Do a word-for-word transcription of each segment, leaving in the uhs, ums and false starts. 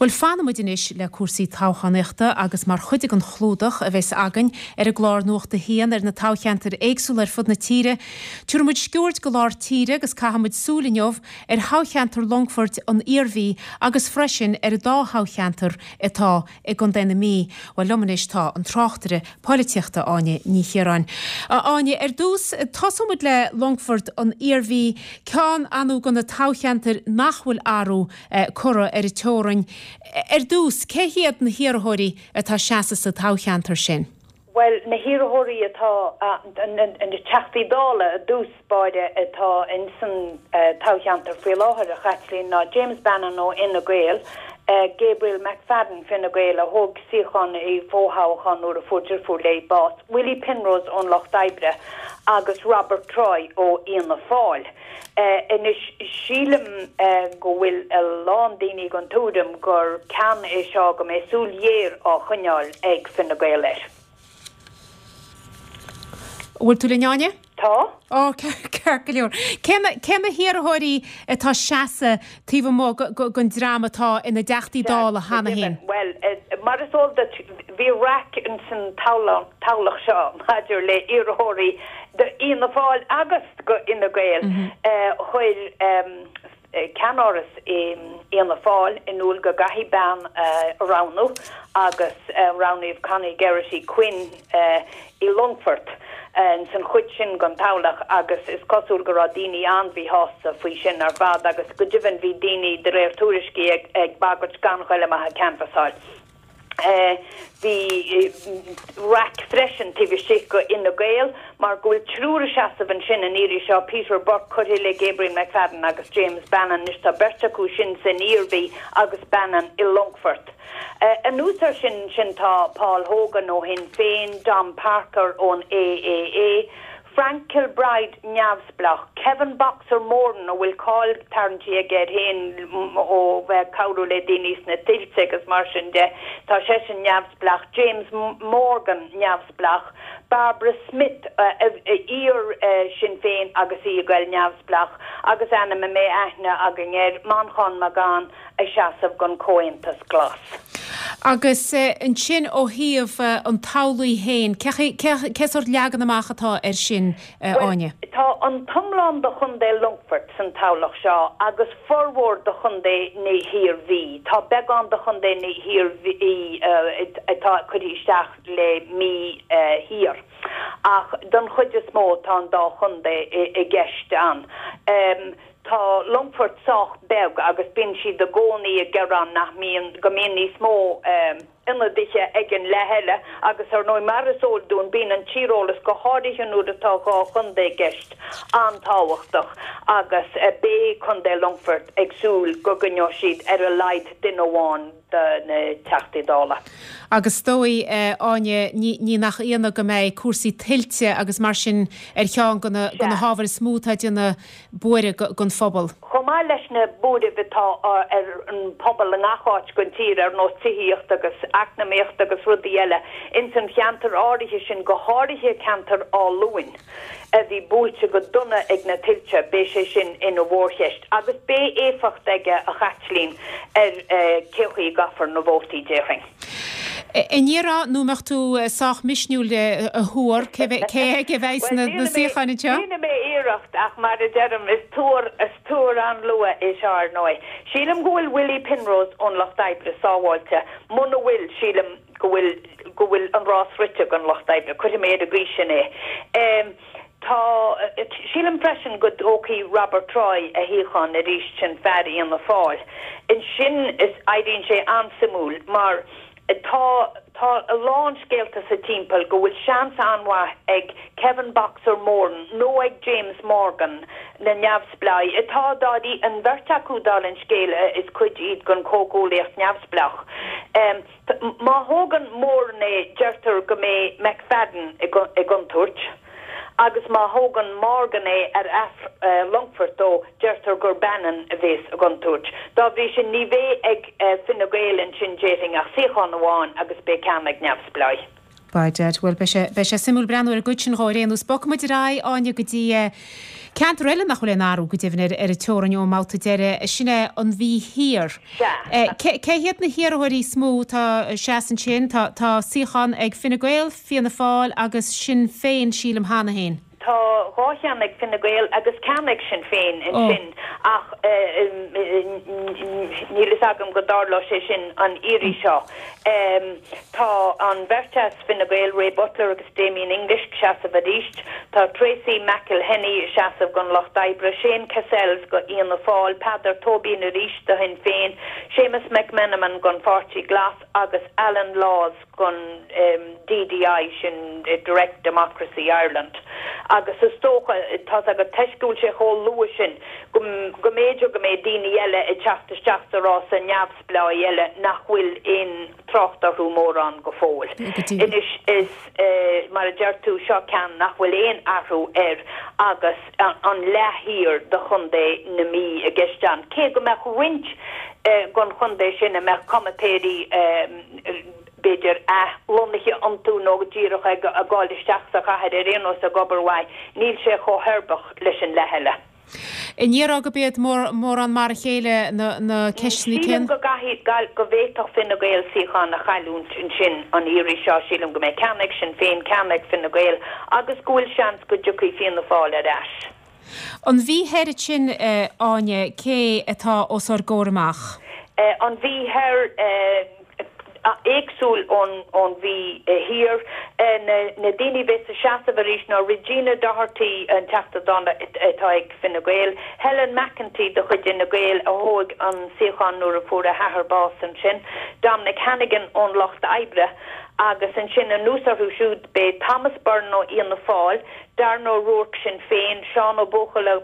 Bhuel fanfaimid anois le cúrsaí toghchánaíochta agus mar chuid den chlúdach a bheas againn ar an gclár Nuacht a hAon ar na toghcheantair éagsúla ar fud na tíre. Tabharfaimid sciuird go lár tíre agus caithfimid súil inniu ar thoghcheantar Longfoirt an Iarmhí agus freisin ar an dá thoghcheantar atá i gContae na Mí. Well liom anois tá an tráchtaire polaitíochta Áine Ní Chiaráin. Áine ar dtús tosóimid le Longfort an Iarmhí ceann anú de na toghcheantair nach bhfuil athrú curtha ar an teorainn. Ar dtús cé hiad na hiarrthóirí atá ag seasamh sa toghcheantar sin. Well na hiarrthóirí atá na teachtaí dála i dtús báire atá in san toghcheantar faoi láthair a Chaitlín ná James Bannon ó Fhine Gael, Gabriel McFadden Fine Gael a thóg suíochán i bhfothoghchán nuair a fuair deirfiúr léi bás, Willie Penrose ón Lucht Oibre agus Robert Troy ó Fhianna Fáil. Anois sílim go bhfuil a lán daoine den tuairim gur ceann é seo go mbeidh súil ghéar á choinneáil ag Fine Gael air. Bhfuil tú linn Áine? Tá? Ó ceart go leor. Cé na hiarrthóirí atá ag seasamh taobh amuigh den dream atá ina dteachtaí dála cheana féin? Well, mar is eol duit bhí raic in san toghlach seo maidir le iarrthóirí d'Fhianna Fáil agus go Fhine Gael chuir ceannáras Fhianna Fáil in iúl go gcaithfidh bean a roghnú agus roghnaíodh Connie Geraghty Quinn i Longfort san chuid sin den toghlach agus is cosúil go raibh daoine an-mhíshásta faoi sin ar fad agus go deimhin bhí daoine de réir tuairiscí ag ag bagairt gan ghoil amach ag canbhasáil. Bhí raic freisin taobh istigh go Fhine Gael mar go bhfuil triúr ag seasamh ansin an iarraidh seo Peter Burke curtha le Gabriel McFadden agus James Bannon anois tá beirt acu sin san Iarmhí agus Bannon i Longfort. Anuas air sin sin tá Paul Hogan ó Shinn Féin, Dom Parker ón AAA, Frank Kilbride neamhspleách, Kevin Boxer Moran a bhfuil cáil tarraingthe aige air féin ó bheith cabhrú le daoine sna tuilte agus mar sin de tá sé sin neamhspleách, James Morgan neamhspleách, Barbara Smith iar Sinn Féin agus í ag goil neamhspleách agus ainm a mbeidh aithne againn air Manchán Magan ag seasamh don Chomhaontas Glas. Agus ansin ó thaobh an toghlaigh féin, cé sórt leagan amach atá air sin Áine? Tá an t-iomlán de Chontae Longfoirt san toghlach seo agus formhór de Chontae na hIarmhí. Tá beagán de Chontae na hIarmhí atá curtha isteach le Mí Thiar. Ach don chuid is mó tá an dá chontae i gceist ann. Tá Longfort sách beag agus bíonn siad i gcónaí ag gearán nach mbíonn go mbíonn níos mó ionadaithe ag an leath eile agus ar ndóigh mar is eol dúinn bíonn an tíreolas go háirithe nuair atá dhá chontae i gceist an-tábhachtach agus beidh Contae Longfoirt ag súil go gcoinneoidh siad ar a laghad duine amháin de na Teachtaí Dála. Agus is dóigh Áine ní nach ionadh go mbeidh cúrsaí tuilte agus mar sin ar cheann de na hábhair is mó atá ag déanamh buaireamh don phobal. Chomh maith leis na buairimh atá ar an pobal i ngach áit den tír ar nós tithíocht agus eacnamaíocht agus rudaí eile, ins an cheantar áirithe sin, go háirithe ceantar Áth Luain a bhí buailte go dona ag na tuilte, beidh sé sin ina mhórcheist agus beidh éifeacht aige a Chaitlín ar cé chaoi a gcaithfear na vótaí déarfainn. An ndéarfá nó mbeadh tú sách misniúil a thuar cé aige a bheidh sna suíocháin anseo? Déanfaidh mé iarracht ach mar a deirim is tuar is tuar an-luath é seo ar ndóigh. Sílim go bhfuil Willie Penrose ón Lucht Oibre sábháilte, muna bhfuil sílim go bhfuil go bhfuil an rás rite ag an Lucht Oibre, cuirfidh mé ar an gcaoi sin é. Tá sílim freisin go dtógfaidh Robert Troy a shuíochán arís sin fear Fhianna Fáil. Ansin is éiríonn sé an-suimiúil mar tá tá a lán scéalta sa timpeall go bhfuil seans an-mhaith ag Kevin Boxer Moran nó ag James Morgan na neamhspleáigh atá dáirí an bheirt acu dála an scéil is cuid iad den chomhghuaillíocht neamhspleách. Má thógann Moran é deirtear go mbeidh McFadden i gcontúirt. Agus má thógann Morgan é ar as Longfort dó, deirtear gur Bannon a bheas i gcontúirt. Dá bhrí sin, ní bheidh ag Fine Gael ansin déarfainn ach suíochán amháin agus beidh ceann ag neamhspleáigh. By dad, bhuel beidh sé, beidh sé suimiúil breathnú ar an gcuid sin dhó ar aon nós. Bogfaidh muid ar aghaidh, Áine, go dtí ceantar eile nach bhfuil aon athrú go deimhin ar, ar an teorainn ón mbabhta deiridh, sin é an Mhí Thiar. Sea. Cé, cé hiad na hiarrthóirí is mó atá ag seasamh ansin? Tá, tá suíochán ag Fine Gael, Fianna Fáil agus Sinn Féin, sílim, cheana féin. Tá dhá cheann ag Fine Gael agus ceann ag Sinn Féin ansin ach níl fhios agam go dtarlóidh sé sin an iarraidh seo. Tá an bheirt as Fine Gael, Ray Butler agus Damien English, ag seasamh arís. Tá Tracey McElhinney ag seasamh don Lucht Oibre, Shane Cassells do Fhianna Fáil, Peadar Tóibín arís do Shinn Féin, Séamus McMenamin don Pháirtí Glas agus Alan Laws don DDI, sin Direct Democracy Ireland, agus is dócha, tá's agat, toisc go bhfuil sé chomh luath sin, go go mb'fhéidir go mbeidh daoine eile ag teacht isteach sa rása, neamhspleáigh eile nach bhfuil aon trácht orthu mórán go fóill. Anois, is mar a deir tú, seo ceann nach bhfuil aon athrú air agus an leath thiar de chontae na Mí i gceist ann, cé go mbeadh roinnt den chontae sin a mbeadh comaitéirí b'fhéidir, athlonnaithe iontu nó díreach ag gabháil isteach sa chathair ar aon nós ag obair uaidh, níl sé chomh huirbeach leis an leath eile. An ndéarfá gurb iad mórán mar a chéile na ceisteanna céanna? Sílim go gcaithfidh, go bhféadfadh Fine Gael suíochán a chailliúint ansin an iarraidh seo. Sílim go mbeidh ceann ag Sinn Féin, ceann ag Fine Gael agus go bhfuil seans go dtiocfaidh Fianna Fáil ar ais. An Mhí Thoir ansin, Áine, cé atá os ár gcomhair amach? An Mhí Thoir, éagsúil ón Mhí Thiar. Na daoine a bheas ag seasamh arís ná Regina Doherty, an Teachta Dála atá ag Fine Gael, Helen McEntee de chuid Fhine Gael a thóg an suíochán nuair a fuair a hathair bás ansin, Dominic Hannigan ón Lucht Oibre agus ansin anuas orthu siúd beidh Thomas Byrne ó Fhianna Fáil, Darren O'Rourke, Sinn Féin, Seán Ó Buachalla,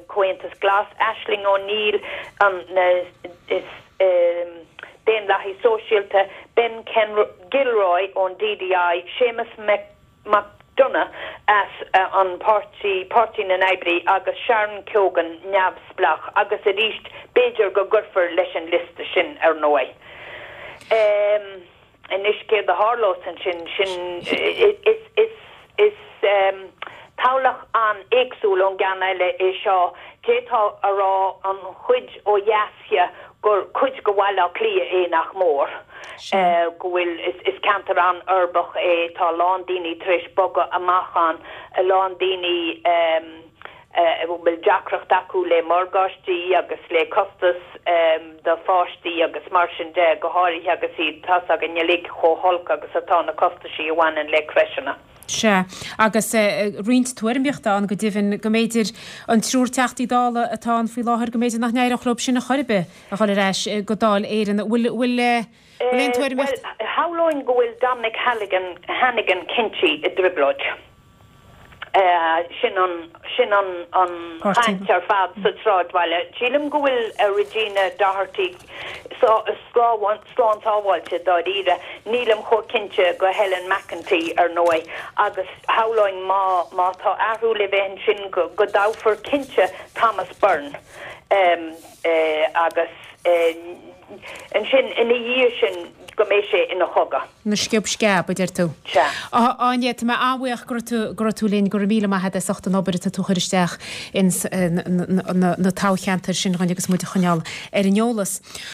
Comhaontas Glas, Aisling O'Neill, an Daonlathaí Sóisialta, Ben Gilroy ón DDI, Séamus McDonagh as an páirtí, Páirtí na nOibrí, agus Sharon Keoghan, neamhspleách, agus arís b'fhéidir go gcuirfear leis an liosta sin ar ndóigh. Anois céard a tharlós ansin, sin, is, is, is toghlach an-éagsúil ón gceann eile é seo. D'fhéadfá a rá an chuid ó dheas dhe gur cuid de Bhaile Átha Cliath é nach mór, go bhfuil, is, is ceantar an-uirbeach é, tá a lán daoine tar éis bogadh amach ann, a lán daoine, a bhfuil deacracht acu le morgáistí agus le costas do pháistí agus mar sin de, go háirithe agus iad, tá's againn uilig chomh holc agus atá na costaisí a bhaineann le crècheanna. Sea, agus roinnt tuairimíochta ann go deimhin go mb'fhéidir an triúr Teachtaí Dála atá ann faoi láthair, go mb'fhéidir nach n-éireodh leo sin ar chor ar bith a dhul ar ais go Dáil Éireann. Bhfuil, bhfuil, bhfuil aon tuairimíocht? Bhuel, shamhlóinn go bhfuil Dominic Halligan, Hannigan cinnte i dtrioblóid. Sin an, sin an, an chaint ar fad sa tsráidbhaile. Sílim go bhfuil Regina Doherty slán sábháilte dáiríre. Nílim chomh cinnte go Helen McEntee, ar ndóigh, agus shamhlóinn má, má tá athrú le bheith ansin go, go dtoghfar cinnte Thomas Byrne agus ansin ina dhiaidh sin go mbeidh sé ina chogadh. Ina sciob sceab, a deir tú. Sea. A Áine, tá mé an-bhuíoch go raibh tú, go raibh tú linn. Go raibh míle maith agat as ucht an obair atá tú a chur isteach ins na, na toghcheantair sin dhuinn agus muid a choinneáil ar an eolas.